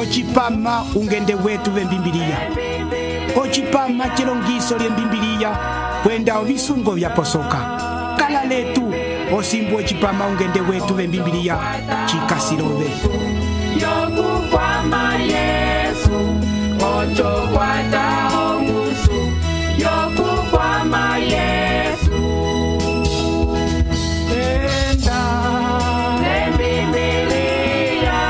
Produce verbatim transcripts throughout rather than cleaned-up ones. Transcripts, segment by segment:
ocipama ungende wetu vembimbiliya, ocipama cilongiso lyembimbiliya kwenda ovisungo vyaposoka. Kala letu osimbu ocipama ungende wetu vembimbiliya cikasilove. Yokukwama Yesu, ocho kwata ongusu. Yokukwama Yesu, enda lembibilia,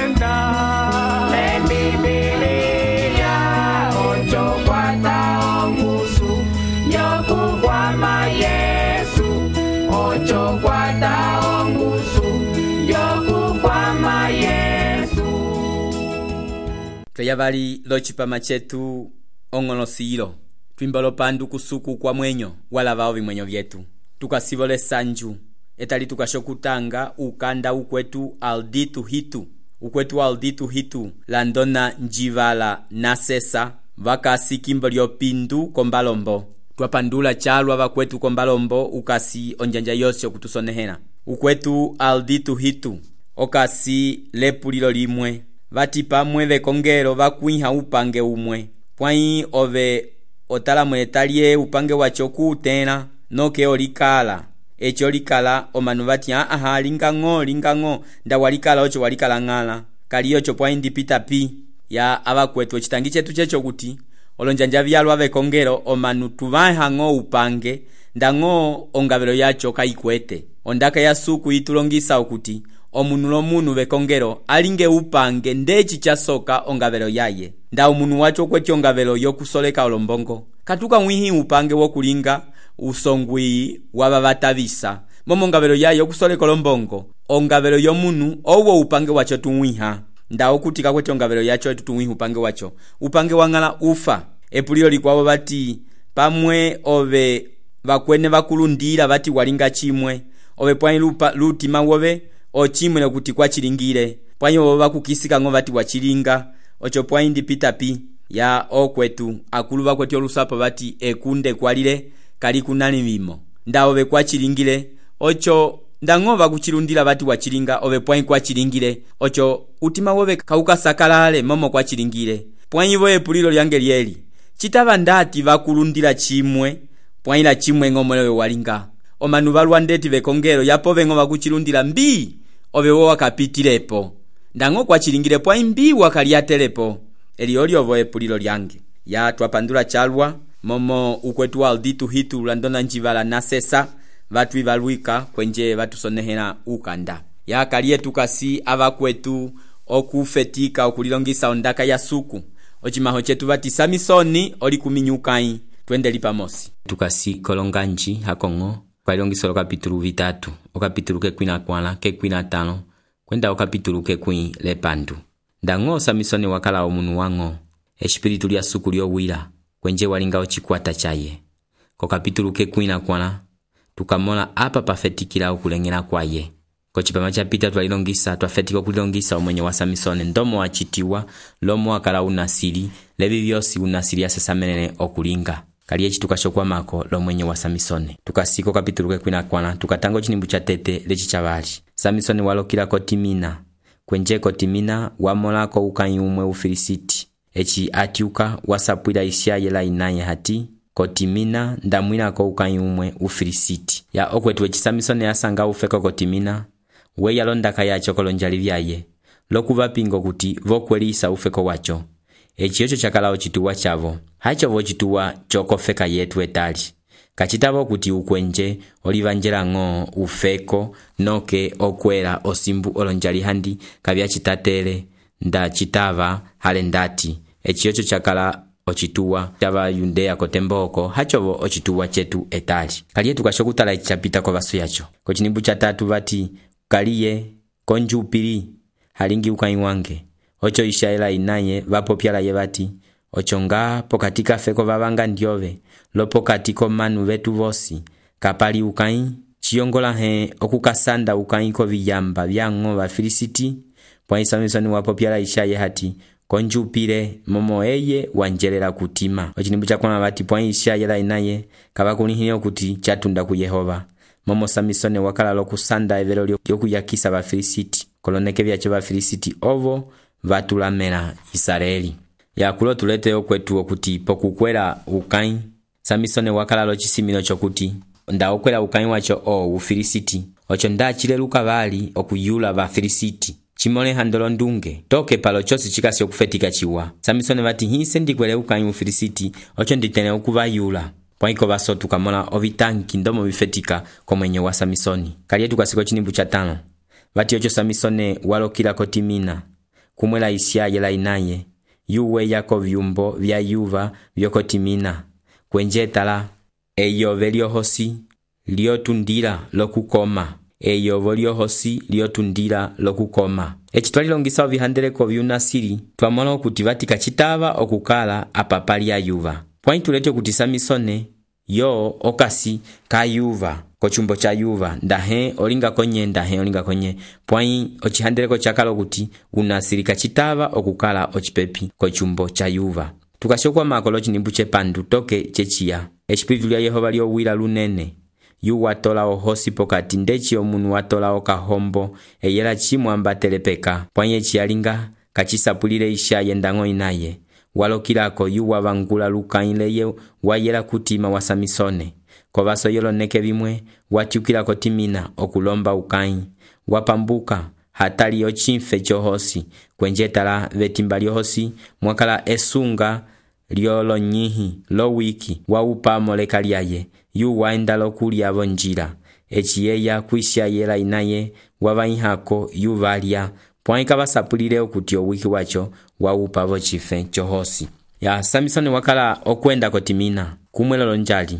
enda lembibilia, ocho kwata ongusu. Yokukwama Yesu, ocho kwata ongusu. Yokukwama Yesu. Tweyavali locipama cetu ong'olosilo twimbalo pandu kusuku kwa mwenyo walavao vimwenyo vyetu tukasivole sanju etali tukashokutanga ukanda ukwetu alditu hitu ukwetu alditu hitu landona njivala nasesa vakasi kimbo lyopindu kombalombo twapandula chalwa vakwetu kombalombo ukasi onjanja yosyo kutusonehena ukwetu alditu hitu okasi lepulilo limwe vati pamwe vekongelo vakwiha upange umwe pwai ove otalamwe talie upange wacho kutena noke olikala echo likala omanu vati aha lingango lingango nda walikala ocho walikala ngala kaliyo cho pwai ndipita pi ya abakwetu chitangi chetu checho kuti olonjanja vyalwa vekongelo omanu tuvaha ngo upange ndango ongabelo yacho kaikwete ondaka ya suku itulongisa okuti omunu lomunu vekongelo alinge upange ndechi chasoka ongabelo yaye nda omunu wacho kweti ongabelo yokusoleka olombongo katuka mwihi upange wokulinga usongwi wababatavisa momo ongabelo yaye yokusoleka olombongo ongabelo yomunu owo upange wacho tumwiha nda okutika kweti ongabelo yacho tutumwiha upange wacho upange wangala ufa epulilo likwabo bati pamwe ove bakwene bakulundira bati walinga chimwe ove pwani lupa lutima wobe ochimwe kuti kwa chilingire pwani wobe bakukisika ngo bati wachilinga ocho pwani ndipita pi ya okwetu akulu bakweti olusapo bati ekunde kwalire kali kunani mimo nda ove kwa chilingire ocho ndango bakuchilundira bati wachilinga ove pwani kwa chilingire ocho utima wobe kauka sakalale momo kwa chilingire pwani wobe pulilo lyange lyeli chitaba ndati bakulundira chimwe pwani la chimwe ngomolewe walinga omanu balwa ndeti vekongelo yapo vengo bakuchilundira mbi ove wo wakapitilepo ndango kwa chilingire pwani mbi wakaliatelepo elioli ovo epulilo lyange ya twapandula chalwa momo ukwetu alditu hitu landona njivala nasesa vatu ivalwika kwenje vatu sonehena ukanda ya kalietu kasi abakwetu okufetika okulilongisa ondaka ya suku ochimaho chetu vati Samisoni oli kuminyukai twende lipamosi tukasi kolonganji hakongo kwa ilongiso kapitulu vitatu okapitulu ke kwina kwala ke kwina tano kwenda okapitulu ke kwi lepandu ndango Samisoni wakala omunu wango espiritu lya suku lyowira kwenje walinga ochikwata chaye ko kapitulu ke kwina kwala tukamola apa pafetikira okulengera kwaye ko chipama cha pita twalilongisa twafetika okulongisa omwenye wa Samisoni ndomo achitiwa lomo akala unasiri lebi byosi unasiri asesamenene okulinga kaliye chitukashokwa mako lomwenye wa Samisoni tukasiko kapitulu ke kwina kwana tukatango chinimbu cha tete lechi chabali Samisoni walokira ko Timina kwenje ko Timina wamola ko ukanyumwe ufilisiti echi atiuka wasapwira isyaye la inaye hati ko Timina ndamwina ko ukanyumwe ufilisiti ya okwetu echi Samisoni asanga ufeko ko Timina we yalondaka yacho kolonjali vyaye lokuva pingo kuti vokwelisa ufeko wacho echi yocho chakala ochituwa chavo hacho vochituwa chokofeka yetu etali kachitavo kuti ukwenje olivanjela ngo ufeko noke okwela osimbu olonjali handi kabya chitatele nda chitava hale ndati echi yocho chakala ochituwa chava Yudea kotemboko hachovo ochituwa chetu etali kaliye tukashokutala echi chapita kwa vasu yacho ko chinimbu cha tatu vati kaliye konjupiri halingi ukaiwange ocho ishaela inaye vapo pyala yebati ochonga pokatika feko vavanga ndiove lopo katiko manu vetu vosi kapali ukai chiongola he okukasanda ukai ko viyamba vyango va Filisiti pwa Samisoni wapo pyala ishaye hati konjupire momo eye wanjelela kutima ochinimbu chakona vati pwa ishaela inaye kabakunihine kuti chatunda ku Yehova momo Samisoni wakala lokusanda evelo lyokuyakisa va Filisiti koloneke vyacho vafilisiti ovo vatulamela Israeli. Yakulo tulete okwetu okuti pokukwela ukai Samisoni wakala locisimilo chokuti nda okwela ukai wacho o ufilisiti ocho ndachile lukavali okuyula vafilisiti chimole handolo ndunge toke palo chosi chikasi okufetika chiwa. Samisoni vati hise ndikwele ukai ufilisiti ocho nditene okuvayula pwaiko vasotu kamola ovitanki ndomo vifetika komwenye wa Samisoni. Kalietu kasiko chinimbu cha tano vati ocho Samisoni walokila kotimina kumwela isya yela inaye yuwe yako vyumbo vya yuva vyokotimina kwenjetala eyo veliohosi liotundila lokukoma eyo voliohosi liotundila lokukoma. Echi twalilongisa ovihandeleko vyunasiri twamola okuti vatika chitava okukala apapali ya yuva. Pwai tulete okuti Samisoni yo okasi ka yuva kochumbo cha yuva ndahe olinga konye ndahe olinga konye pwai ochihandeleko chakala okuti unasiri kachitava okukala ochipepi kochumbo cha yuva. Tukashokwa makolo chinimbu chepandu toke chechiya eshipiritu lya Yehova lyowila lunene yu watola ohosi pokati ndechi omunu watola okahombo eyela chimwamba telepeka pwanye chiyalinga kachisapulile isha yendango inaye walokilako yu wavangula lukaileye wayela kutima wa Samisoni kovaso yoloneke vimwe watyukilako timina okulomba ukai wapambuka hatali ochimfe chohosi kwenjetala vetimba lyohosi mwakala esunga lyolonyihi lo wiki waupa moleka lyaye yu waenda lokulya vonjila echiyeya kwisha yela inaye wavaihako yu valya pwaika vasapulile okuti owiki wacho waupa vochife chohosi. Ya Samisoni wakala okwenda kotimina kumwelolo njali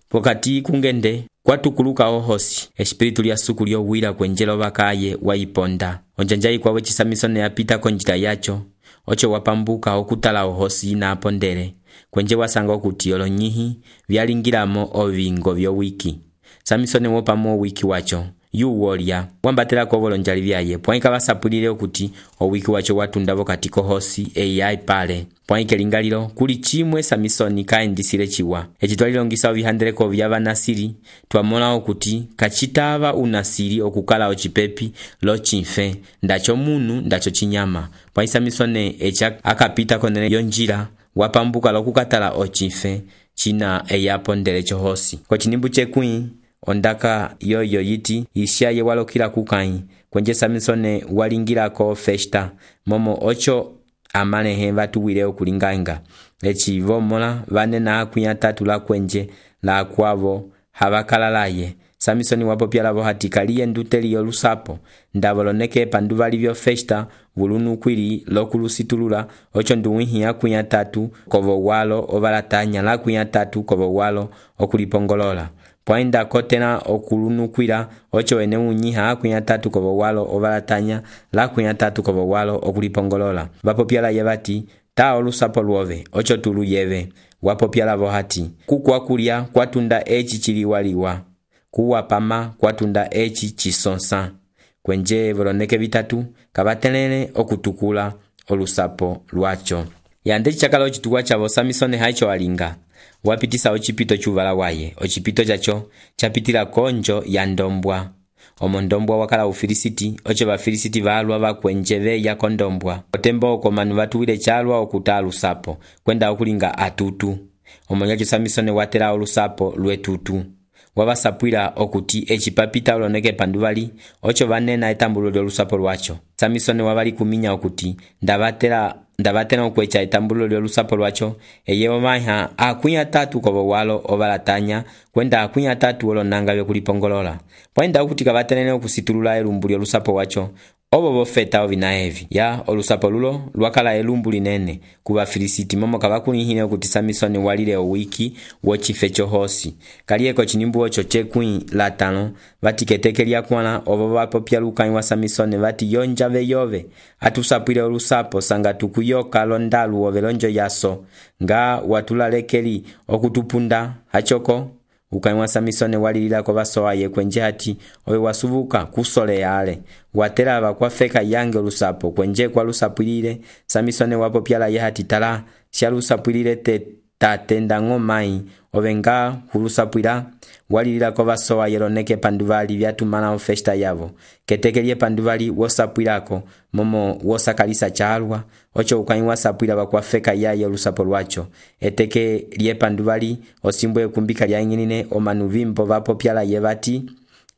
pokati kungende kwatukuluka ohosi espiritu lya suku lyowila kwenjelo vakaye waiponda onjanjai kwawe chi Samisoni yapita konjila yacho ocho wapambuka okutala ohosi na apondele kwenje wasanga okuti olonyihi vyalingilamo ovingo vyowiki. Samisoni wopamo wiki wacho yu wolya wambatela ko volonjali vyaye pwaika vasapulile okuti owiki wacho watundavo katiko hosi eyai pale pwaike lingalilo kuli chimwe Samisoni kaendisile chiwa. Echi twalilongisa ovihandeleko vya vanasiri twamola okuti kachitava unasiri okukala ochipepi lo chimfe ndacho munu ndacho chinyama pwai Samisoni echa akapita konene yonjila wapambuka lokukatala ochimfe china eyapondele chohosi. Kwa chinimbu chekwi ondaka yoyo yiti ishaye walokila kukai kwenje Samisoni walingilako festa momo ocho amalehe vatuwile okulinganga echi vomola vane na akuya tatu la kwenje la kwavo havakalalaye. Samisoni wapopyalavo hatikaliye nduteli yolusapo ndavoloneke panduvali vyo festa vulunu kwili lokulusitulula ocho nduwihi akuya tatu kovo walo ovalatanya la akuya tatu kovo walo okulipongolola pwainda kotena okulunukwila ocho ene unyiha akuya tatu kovo walo ovalatanya la akuya tatu kovo walo okulipongolola. Vapopyala yevati ta olusapo luove ocho tulu yeve wapopyala vohati kukwa kulya kwatunda echi chiliwaliwa kuwa pama kwatunda echi chisonsa kwenje voloneke vitatu kavatelele okutukula olusapo lwacho. Yandechi chakala ochituwa chavo Samisoni haicho alinga wapitisa ochipito chuvala waye ochipito chacho chapitila konjo ya ndombwa omo ndombwa wakala ufilisiti ocho vafilisiti valwa vakwenjeve ya kondombwa otembo oko manu vatuwile chalwa okutalu sapo kwenda okulinga atutu omo nyacho Samisoni watela olusapo lwetutu wavasapwila okuti echipapita oloneke panduvali ocho vanena etambulo lyolusapo lwacho. Samisoni wavali kuminya okuti ndavatela ndavatena okwecha etambulo lyolusapo lwacho eyewo maiha akuya tatu kovo walo ovalatanya kwenda akuya tatu olonanga vyokulipongolola pwaenda okuti kavatelene okusitulula elumbu lyolusapo wacho ovo vofeta ovina evi ya olusapo lulo lwakala elumbu linene kuva Filisiti momo kavakulihile okuti Samisoni walile owiki wochife chohosi. Kalieko chinimbu ocho chekwi latano vatiketeke lyakwana ovo vapopya lukai wa Samisoni vati yonjave yove atusapwile olusapo sanga tukuyoka londalu ovelonjo yaso nga watulalekeli okutupunda hachoko. Ukai wa Samisoni walilila kwa vaso aye kwenje hati owe wasuvuka kusole yale watela kwa feka yange olusapo kwenje kwa lusapulile. Samisoni wapopyala ye hati tala sha lusapulile te tate ndango mai ovenga hulusapwila walilila ko vasowa yeloneke panduvali vyatumana ofesta yavo ketekelie panduvali wosapwilako momo wosakalisa chalwa ocho ukai wasapwila vakwafeka yaye olusapo lwacho eteke lie panduvali osimbwe kumbika lya ingine omanuvimbo vapo pyala yevati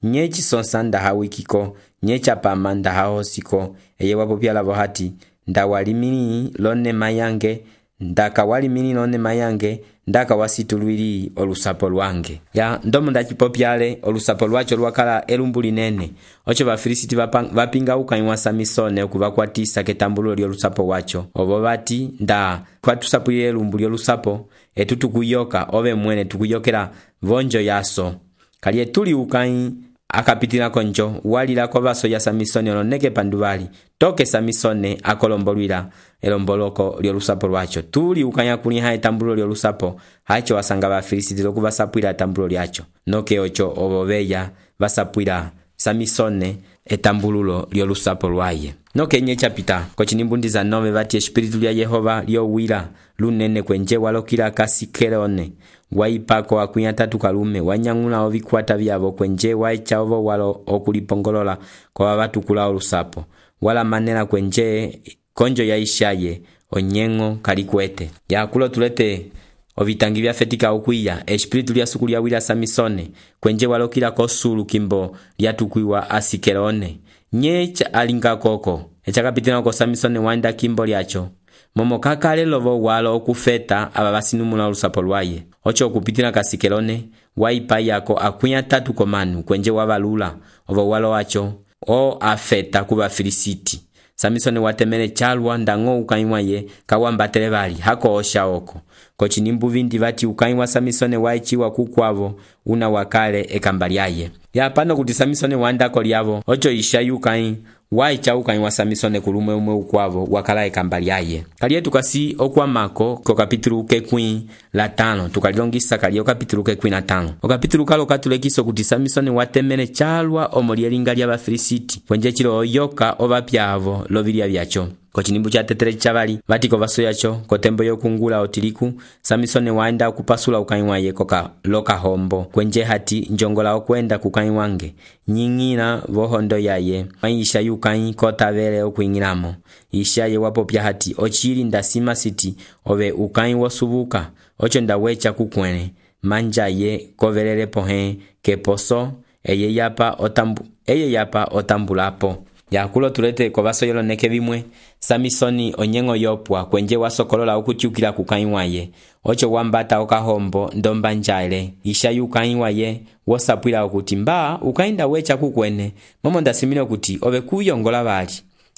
nye chisonsa ndahawikiko nye chapama ndahahosiko eye wapo pyala vohati ndawalimini lone mayange ndaka walimini lone mayange ndaka wasitulwili olusapo lwange ya ndomo ndachipopyale olusapo lwacho lwakala elumbu linene ocho bafilisiti vapinga ukaiwa Samisone okuvakwatisa ketambulo lyolusapo wacho obo bati nda kwatusapulile elumbu lyolusapo etutukuyoka ove mwene tukuyokela vonjo yaso kali etuli ukai akapitila konjo walila kwa vaso ya Samisone oloneke panduvali toke Samisone akolombolwila elomboloko lyolusapo lwacho tuli ukanya kuniha etambulo lyolusapo hacho wasanga bafilisiti lokuvasapwila etambulo lyacho noke ocho obobeya vasapwila Samisone etambululo lyolusapo lwaye noke nye chapita kochinimbundi za nove vati espiritu lya Yehova lyowila lunene kwenje walokila kasikelone waipako akunya tatu kalume wanyangula ovikwata vyavo kwenje waicha ovo walo okulipongolola kwa watu kula olusapo wala manela kwenje konjo ya ishaye onyengo kalikwete ya kulo tulete ovitangi vya fetika ukuya espiritu lya suku lya wila Samisone kwenje walokila kosulu kimbo lya tukuiwa asikelone nyecha alinga koko echa kapitina ko Samisone wanda kimbo lyacho momo kakale lovo walo okufeta aba basinumula olusapo lwaye ocho okupitina kasikelone waipa yako akunya tatu komanu kwenje wabalula ovo walo wacho o afeta kuba Filisiti Samisone watemele chalwa ndango ukaiwa ye kawambatele bali hako osha oko kochinimbu vindi vati ukaiwa Samisone waichiwa kukwavo una wakale ekambalyaye ya pano kuti Samisone wandako lyavo ocho ishayukai waicha ukaiwa Samisone kulume umwe ukwavo wakala ekambalyaye kaliye tukasi okwamako ko kapitulu kekwi la tano tukalilongisa kaliye kapitulu kekwi na tano okapitulu kalo katulekiso kuti Samisone watemele chalwa omolielinga lya Bafilisiti kwenje chilo oyoka obapyavo lovilya vyacho kochinimbu cha tetere chabali vatiko vaso yacho kotembo yokungula otiliku Samisone waenda kupasula ukaiwa ye koka loka hombo kwenje hati njongola okwenda kukaiwange nyingina vohondo yaye maisha yukai kota vele okuingilamo ishaye wapo pya hati ochili ndasima siti ove ukai wosubuka ocho ndawecha kukwene manja ye kovelele pohe keposo eye yapa otambu eye yapa otambulapo ya kulo tulete kwa vaso yelo neke vimwe Samisoni onyengo yopwa kwenje wasokolola okuchukila kukaiwa ye ocho wambata okahombo ndomba njale isha yukaiwa ye wosapwila okuti mba ukainda wecha kukwene momo ndasimile okuti ove kuyongola bali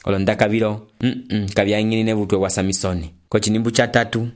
olondaka vilo mm -mm, kabya ingine vutwe wa Samisone kochinimbu cha tatu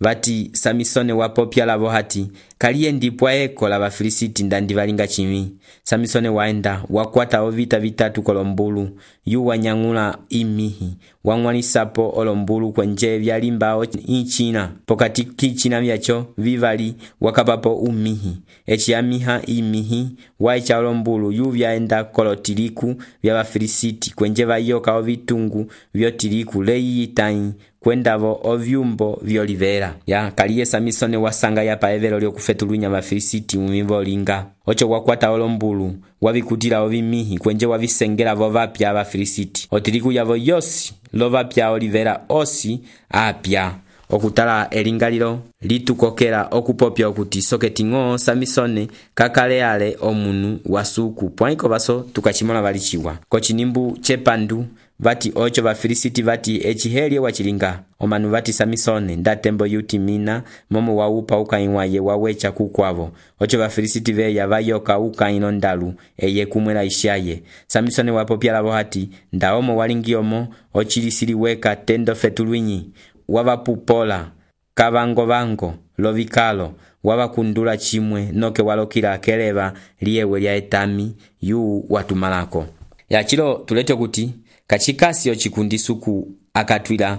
vati Samisone wapopya lavo hati kaliye ndipwa eko la Bafilisiti ndandi valinga chimi Samisone waenda wakwata ovita vitatu kolombulu yu wanyangula imihi wangwanisapo olombulu kwenje vyalimba ichina pokati kichina vyacho vivali wakapapo umihi echi amiha imihi waicha olombulu yu vyaenda kolotiliku vya Bafilisiti kwenje vayoka ovitungu vyotiliku leyitai kwendavo ovyumbo vyolivera ya kaliye Samisone wasanga ya paevelo lyokufetulunya Bafilisiti umivo linga ocho wakwata olombulu wavikutila ovimihi kwenje wavisengela vovapya Abafilisiti otiliku yavo yosi lovapya olivera osi apya okutala elingalilo litukokela okupopya okuti soketingo Samisone kakale ale omunu wasuku pwaiko baso tukachimona balichiwa kochinimbu chepandu vati ocho Bafilisiti vati echihelye wachilinga omanu vati Samisone ndatembo yutimina momo waupa ukaiwa ye wawecha kukwavo ocho Bafilisiti veya vayoka ukaino ndalu eye kumwela ishaye Samisone wapopya lavo hati ndaomo walingiomo ochilisili weka tendo fetulwinyi wavapupola kavango vango lovikalo wavakundula chimwe noke walokila keleva liewe lya etami yu watumalako ya chilo tulete kuti kachikasi ochikundi suku akatwila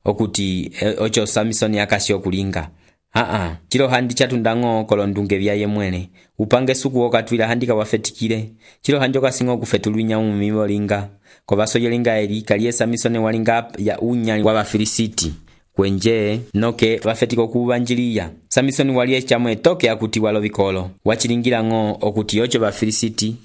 okuti ocho Samisone akasi okulinga aa chilo handi chatundango kolondunge vyaye mwene upange suku okatwila handika wafetikile chilo hanjoka singo kufetulunya umivo linga kwa vaso yelinga eri kaliye Samisone walinga ya unyali wa Bafilisiti kwenje noke vafetika okuvanjiliya. Samisoni wali ecamwe toke akuti walo vikolo wachilingila ng'o okuti ocho Bafilisiti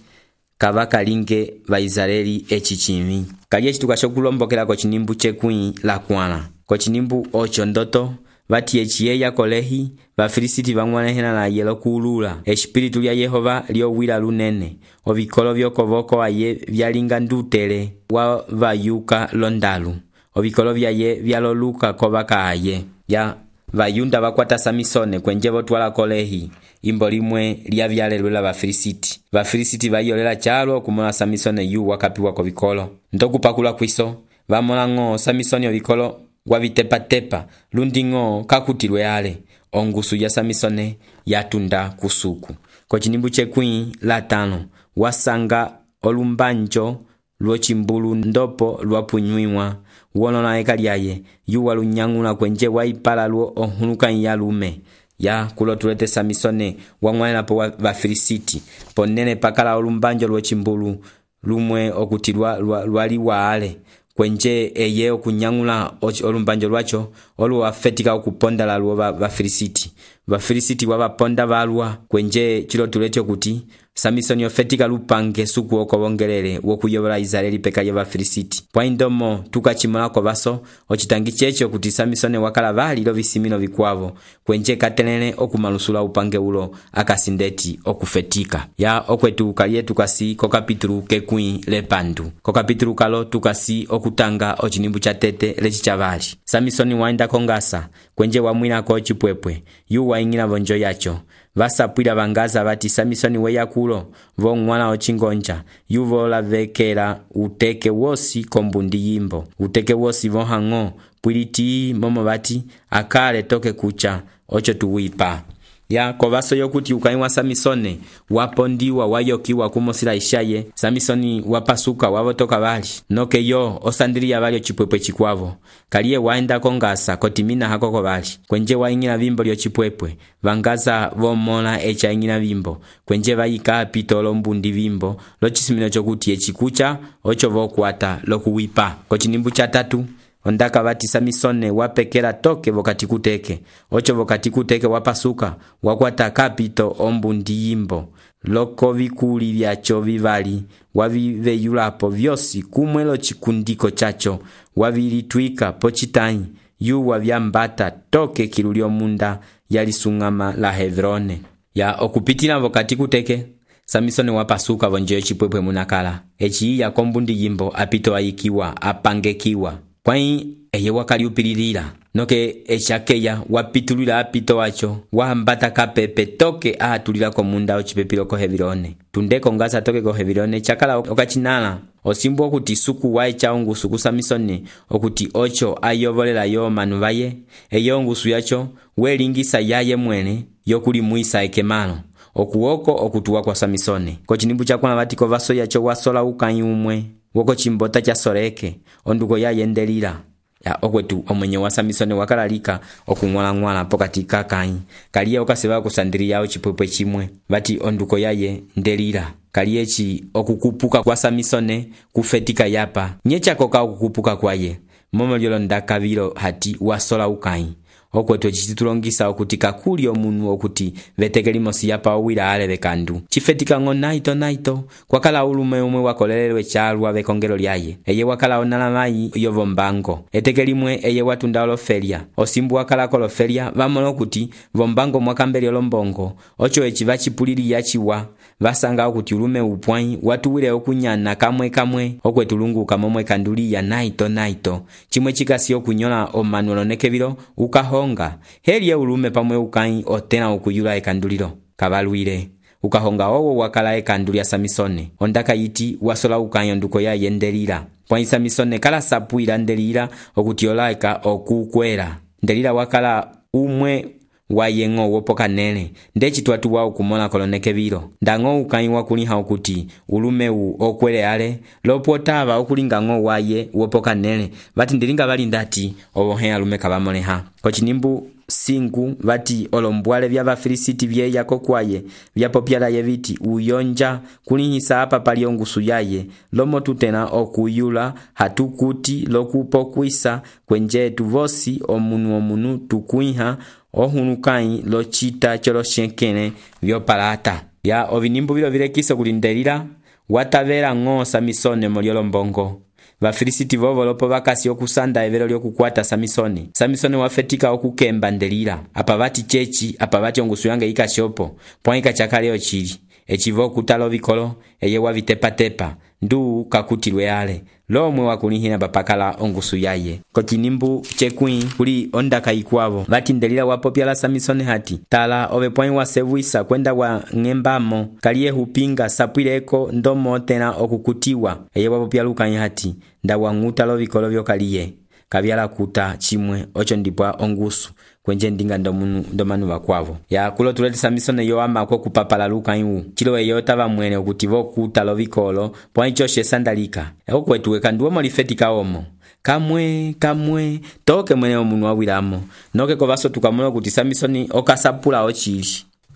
kavakalinge Vaisraeli eci cimi. Kali eci tukashokulombokela kocinimbu cekwi la kwala. Kocinimbu ocho ndoto vati eciyeya kolehi Bafilisiti vang'wanehela na yelo kulula. Espiritu lya Yehova liowila lunene. Ovikolo vyokovoko aye vyalinga ndutele wa vayuka londalu. Ovikolo vyaye vyaloluka kovaka aye. Ya vayunda vakwata Samisone kwenje votwala kolehi. Imbo limwe lya vyalelwela Bafilisiti. Bafilisiti vayolela chalo okumona Samisone yu wakapiwa kovikolo. Ndokupakula kwiso vamona ng'o Samisoni ovikolo wavitepa-tepa lundi ng'o kakutilwe ale. Ongusu ya Samisone yatunda kusuku. Kocinimbu cekwi la tano wasanga olumbanjo lwochimbulu ndopo lwapunywiwa wonona eka lyaye yu walunyang'ula kwenje waipala lwo onhuluka ya lume. Ya kulotulete Samisone wang'wanela po Bafilisiti ponene pakala olumbanjo lwochimbulu lumwe okutilwa lwali waale kwenje eye okunyang'ula olumbanjo lwacho olu wafetika okuponda la lwo Bafilisiti. Bafilisiti wabaponda balwa kwenje chilotulete okuti Samisoni ofetika lupange suku okobongelele wokuyobola Israeli peka ya Bafilisiti. Pwaindomo tukachimolako baso ochitangi cheche okuti Samisoni wakala bali lo bisimino bikwavo kwenje katelele okumalusula upange ulo akasindeti okufetika. Ya okwetu kaliye tukasi ko kapitulu kekwi lepandu. Ko kapitulu kalo tukasi okutanga ochinimbu cha tete lechi chabali. Samisoni waenda kongasa kwenje wamwina ko chipwepwe yu waingina bonjo yacho. Vasapwila bangaza bati Samisoni weya kulo vong'wana ochingonja yuvo lavekela uteke wosi kombundi yimbo. Uteke wosi vohang'o pwiliti momo bati akale toke kucha ocho tuwipa. Ya kovaso yokuti ukaiwa Samisone wapondiwa wayokiwa kumosila ishaye Samisoni wapasuka wavotoka bali noke yo osandiliya bali ochipwepwe chikwavo. Kaliye waenda kongasa kotimina hakoko bali kwenje waingina bimbo lyo chipwepwe vangaza vomola echa ingina bimbo kwenje vayika pitolo mbundi bimbo lochisimino chokuti echikucha ocho vokwata lokuwipa. Kocinimbu cha tatu ondaka bati Samisone wapekela toke vokati kuteke ocho vokati kuteke wapasuka wakwata kapito ombundi yimbo loko vikuli vyacho vivali waviveyulapo vyosi kumwelo chikundiko chacho wavilitwika pochitanyi yu wavyambata toke kilulio munda yalisungama la Hebrone. Ya okupitila vokati kuteke Samisone wapasuka vonje chipwepwe munakala echi ya kombundi yimbo apito ayikiwa apangekiwa kwai eye wakali upililila noke echakeya wapitulila apito wacho wahambata kapepe toke ahatulila komunda ochipepilo ko Hebrone. Tundeko ngasa toke ko Hebrone chakala okachinala osimbu okuti suku waecha ongusu ku Samisoni okuti ocho ayovolela yo manu baye eyo ongusu yacho welingisa yaye mwene yokuli muisa ekemalo okuwoko okutuwa kwa Samisoni. Kocinimbu chakwana batiko vaso yacho wasola ukanyi umwe woko chimbota cha soreke onduko ya yendelila. Ya okwetu omwenye wa Samisoni wakalalika okung'wala-ng'wala pokati kakanyi kaliye okaseba kusandiri yao chipwepwe chimwe bati onduko yaye ndelila. Kaliye chi okukupuka kwa Samisoni kufetika yapa nyecha koka okukupuka kwaye momo lyolo ndakavilo hati wasola ukanyi. Okwetu chitulongisa okuti kakuli omunu okuti vetekeli mosi yapa owila ale bekandu chifetika ng'o naito naito kwakala ulume umwe wakolelelwe chalwa bekongelo lyaye eye wakala onala mai yovo mbango etekeli mwe eye watunda olofelia osimbu wakala kolofelia vamola okuti vombango mwakambeli olombongo ocho echi vachipulili yachiwa vasanga okuti ulume upwai watuwile okunyana kamwe kamwe okwetu lungu kamomwe kanduli ya naito naito chimwe chikasi okunyola omanuelo nekevilo ukaho honga heli ulume pamwe ukai otena okuyula ekandulilo kabalwile ukahonga owo wakala ekandulia Samisone ondaka yiti wasola ukai onduko ya yendelila kwa Samisone kala sapuila ndelila okutiolaika okukwela ndelila wakala umwe wayeng'o wopoka nele ndechi twatu wao kumona koloneke biro ndang'o ukai wakuliha okuti ulume u okwele ale lopotava okulinga ng'o waye wopoka nele bati ndilinga bali ndati obohe alume kabamoleha. Kocinimbu cinco vati olombwale vya vafilisiti vyeya kokwaye vyapopyalaye viti uyonja kulihisa apa pali ongusu yaye lomo tutena okuyula hatukuti lokupokwisa kwenjetu vosi omunu omunu tukuiha ohunukai lochita choloshenkene vyopalata ya ovinimbu vilo vilekisa kulindelila watavela ng'o Samisone moliolo mbongo. Vafilisiti vovo lopo vakasi okusanda evelo lyokukwata Samisone. Samisone wafetika okukemba ndelila. Apa vati chechi, apa vati ongusu yange ikashopo. Pwaika chakale ochili. Echivo kutalo vikolo, eye wavitepa tepa. Ndu kakutilwe ale. Lomwe wakulihina bapakala ongusu yaye. Kokinimbu chekui kuli ondaka ikwavo. Vati ndelila wapopyala Samisone hati. Tala ove pwai wasevuisa kwenda wa ngembamo. Kaliye hupinga sapwileko ndomo tena okukutiwa. Eye wapopyaluka hati. Nda wanguta lo vikolo vyo kaliye. Kavyala kuta chimwe ocho ndipwa ongusu. Kwenje ndinga ndomunu ndomanu wakwavo. Ya kulo tulete Samisone yo ama kwa kupapala luka iwu. Chilo eyo tava mwene okutivo kuta lo vikolo. Pwai choshe sandalika. Eko kwetuwe kanduwa molifetika omo. Kamwe, kamwe, toke mwene omunu wawilamo. Noke kovaso tukamono kuti Samisone okasapula ochili.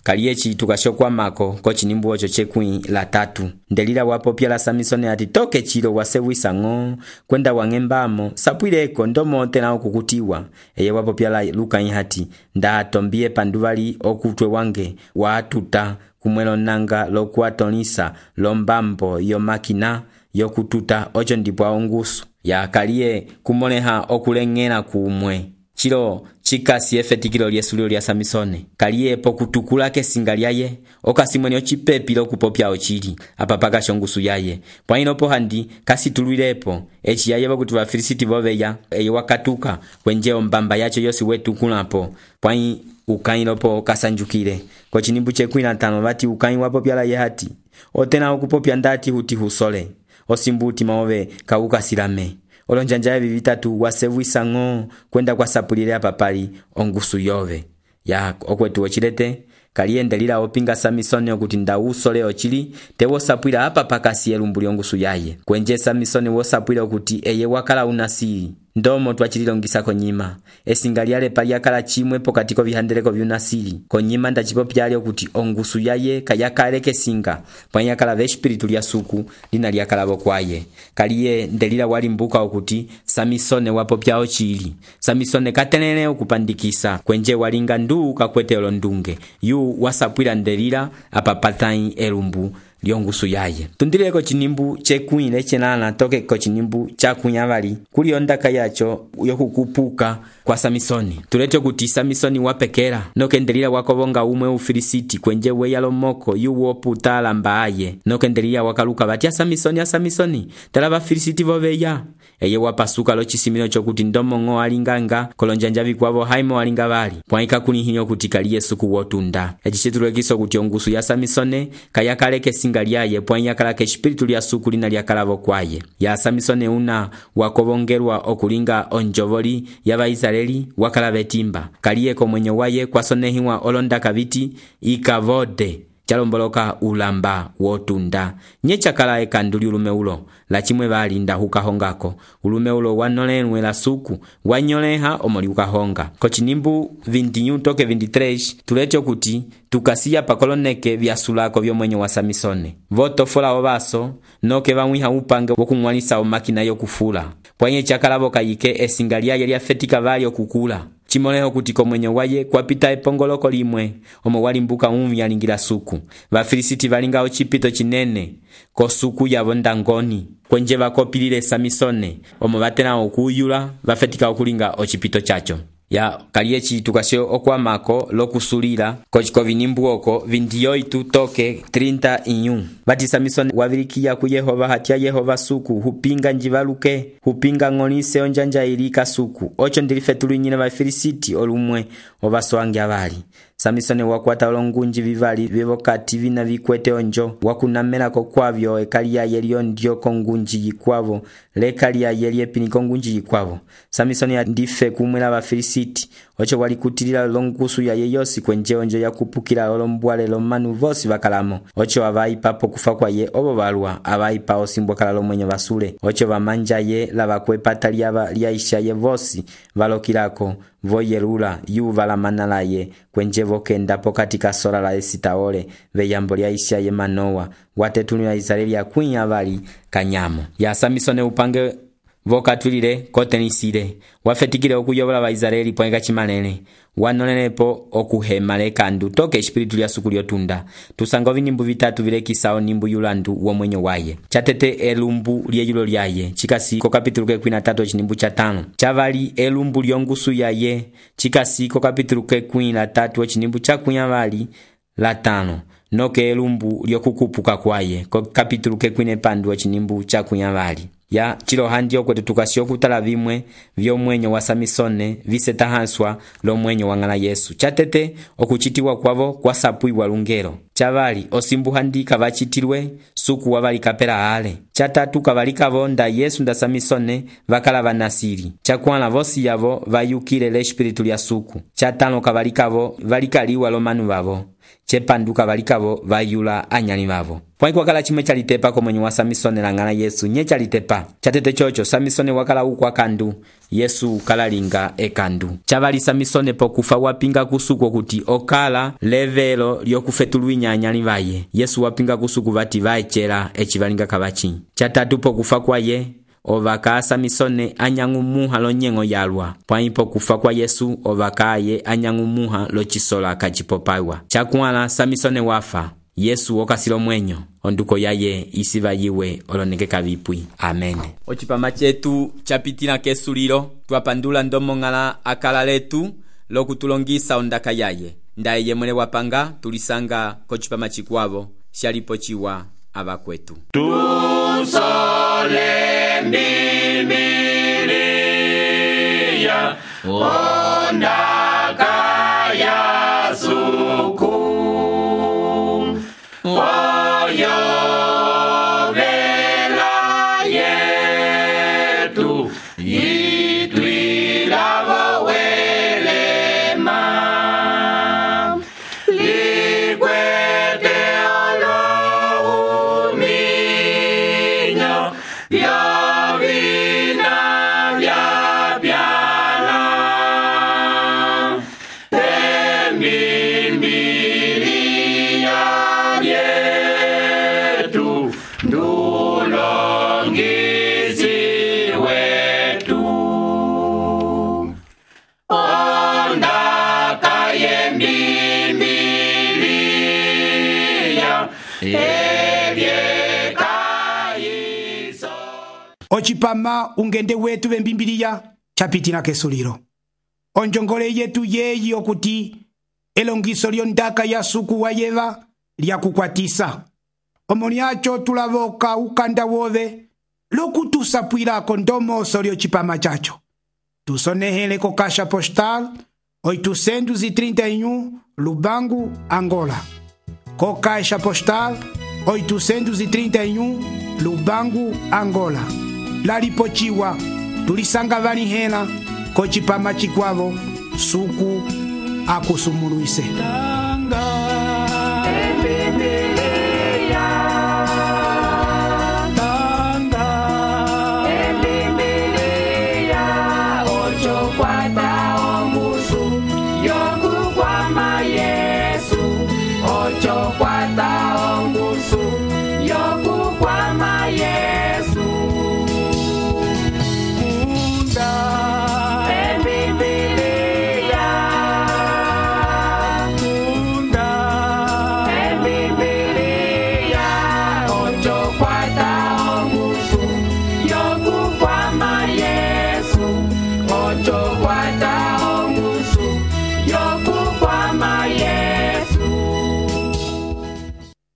Kaliyechi tukashokwa mako kochinimbu ocho chekui la tatu. Ndelila wapopyala Samisone ati toke chilo wasevuisa ng'o kwenda wangembamo sapwileko ndomo tena okukutiwa. Eye wapopyala luka hati nda tombie panduvali okutwe wange watuta kumwelo nanga lokuatonisa lombambo yo makina yokututa ocho ndipwa ongusu. Ya kaliye kumoneha okulengena kumwe. Chilo chikasi efetikilo lyesulio lya Samisone. Kaliye pokutukula kesinga lyaye okasimweni ochipepi lokupopya ochili apapaka shongusu yaye. Pwaino po handi kasi tuluilepo echi yaye bakuti Vafilisiti voveya eye wakatuka kwenje ombamba yacho yosi wetu kulapo. Pwai ukai lopo kasanjukile. Kochinimbu chekui na tano vati ukai wapopyala ye hati. Otena okupopya ndati huti husole. Osimbuti maove kauka silame. Olonjanja hivi vitatu wasevuisa ng'o kwenda kwa sapulile apapali ongusu yove. Ya okwetu ochilete kaliye ndelila opinga Samisone okuti nda usole ochili tewo sapwila apa pakasi elumbuli ongusu yaye. Kwenje Samisone wo sapwila okuti eye wakala unasiri. Ndomo twachililongisa konyima. Esingaliale pali akala chimwe pokatiko vihandeleko vyunasiri. Konyima nda chipopyali okuti ongusu yaye kayakale kesinga. Pwanya akala veshpiritu lya suku lina lyakala vokwaye. Kaliye ndelila walimbuka okuti Samisone wapopya ochili. Samisone katenene okupandikisa. Kwenje walinga ndu kakwete olondunge. Yu wasapwila ndelila apapatai elumbu lyongusu yaye. Tundileko chinimbu chekuile chenana toke ko chinimbu chakunyavali. Kuli ondaka yacho yokukupuka kwa Samisone. Tulete kuti Samisone wapekera. Noke ndelila wakovonga umwe Ufilisiti kwenje weyalo moko yu woputa lambaaye. Noke ndelila wakaluka vati ya Samisone ya Samisone. Tala Vafilisiti voveya. Eye wapasuka lo chisimino chokuti ndomo ng'o alinganga kolonjanja vikwavo haimo alinga vali. Pwaika kunihinyo kuti kaliye suku wotunda. Echichetulekiso kuti ongusu ya Samisone kayakale kesinga lyaye pwanya kala keshpiritu lya suku lina lyakalavo kwaye. Ya Samisone una wakovongerwa okulinga onjovoli ya Vaisraeli wakala vetimba. Kaliye komwenyo waye kwasonehiwa olondaka viti ikavode. Chalomboloka ulamba wotunda. Nyecha kala ekanduli ulume ulo. La chimwe vali nda hukahongako. Ulume ulo wanolenwe la suku. Wanyoleha omoli ukahonga. Kochinimbu vintinyu toke vintitres. Tulecho kuti tukasiya pakoloneke vya sulako vyo mwenye wa Samisone. Voto fola obaso. Noke vamwiha upange wakungwanisa omakina yokufula. Pwanye chakala voka yike esingalia yelia fetika vali okukula. Chimoleho kuti komwenye waye kwa pita epongoloko limwe. Omo walimbuka umi alingila suku. Vafilisiti valinga ochipito chinene. Ko suku ya vondangoni. Kwenje vakopilile Samisone. Omo vatena okuyula. Vafetika okulinga ochipito chacho. Ya kaliyechi tukasio okwa mako lokusulila kochiko vinimbu oko vindiyoitu toke treinta inyu. Bati Samisone wavilikia ku Yehova hatia Yehova suku hupinga njivaluke hupinga ng'onise onjanja ilika suku ocho ndilifetulu nyine Vafilisiti olumwe ovasoange avali. Samisone wakwata olongunji vivali vivokati vina vikwete onjo wakunamela kokwavyo ekalia yelio ndio kongunji yikwavo lekalia yelie pini kongunji yikwavo. Samisone ndife kumwela Vafilisiti ocho walikutilila longusu ya yeyosi kwenje onjo yakupukila olombwale lomanu vosi vakalamo, ocho avaipa pokufa kwa ye obo balwa avaipa osimbwa kala lomwenyo basule, ocho vamanja ye lavakwepata lyava lyaisha ye vosi valokilako voyelula yuva la manala ye kwenje vokenda pokati kasola la esitaole veyambo lyaisha ye Manoa watetunu ya Israeli ya kwinya avali kanyamo ya Samisone upange vokatwilile kotenisile wafetikile okuyobola ba Israeli poenga chimalele wanonenepo okuhema lekandu toke espiritu lya suku lyotunda tusanga vinimbu vitatu vilekisao nimbu yulandu wo mwenyo waye chatete elumbu lyeyulo lyaye chikasi ko kapitulu ke kwina tatu chinimbu cha tano chavali elumbu lyongusu yaye chikasi ko kapitulu ke kwina tatu chinimbu cha kunya vali la tano noke elumbu lyokukupuka kwaye ko kapitulu ke kwine pandu chinimbu cha kunya vali ya chilo handio kwetu tukasio kutala vimwe vyo mwenyo wa Samisone visetahanswa lo mwenyo wangala Yesu chatete okuchitiwa kwavo kwa sapuiwa lungero chavali osimbu handi kavachitilwe suku wavali kapela ale chatatu kavalika vonda Yesu nda Samisone vakala vanasiri chakwala vosi yavo vayukile le espiritu lya suku chatano kavalikavo valikaliwa lo manu vavo chepanduka valikavo vayula anyali vavo pwaiko wakala chimwe chalitepa ko mwenye wa Samisone langana Yesu nye chalitepa chatete chocho Samisone wakala ukwa kandu Yesu kalalinga ekandu chavali Samisone pokufa wapinga kusuko kuti okala levelo lyokufetulwinya anyali vaye Yesu wapinga kusuku vati vaechera echivalinga kabachi chatatu pokufa kwaye ovaka Samisone anyangumuha lo nyengo yalwa pwaipo kufa kwa Yesu ovakaye anyangumuha lo chisola kachipopaiwa chakwala Samisone wafa Yesu okasilo mwenyo onduko yaye isiva yiwe oloneke kavipwi amen ochipama chetu chapitila kesulilo twapandula ndomongala akala letu lokutulongisa ondaka yaye ndaye yemwele wapanga tulisanga kochipama chikwavo shalipo chiwa abakwetu tusole Bibilia ondaka ya suku oyo vela yetu itwila vowelema likwete olo uminyo vya vina vya pyala Bibilia yetu ndulongisi wetu ondaka ye Bibilia ebyekaiso ochipama ungende wetu vembimbiliya chapitila kesulilo onjongole yetu yeyi okuti elongiso lyondaka ya suku wa yeva lyakukwatisa omoniacho tulavoka ukanda wove lokutusapwilako ndomoso lyochipama chacho tusonehele ko kasha postal oitocentos e trinta e um Lubango, Angola. Co caixa postal oitocentos e trinta e um Lubango, Angola. Lalipochiwa tulisanga vanihela kochipama chikwavo suku akusumuluise. Yo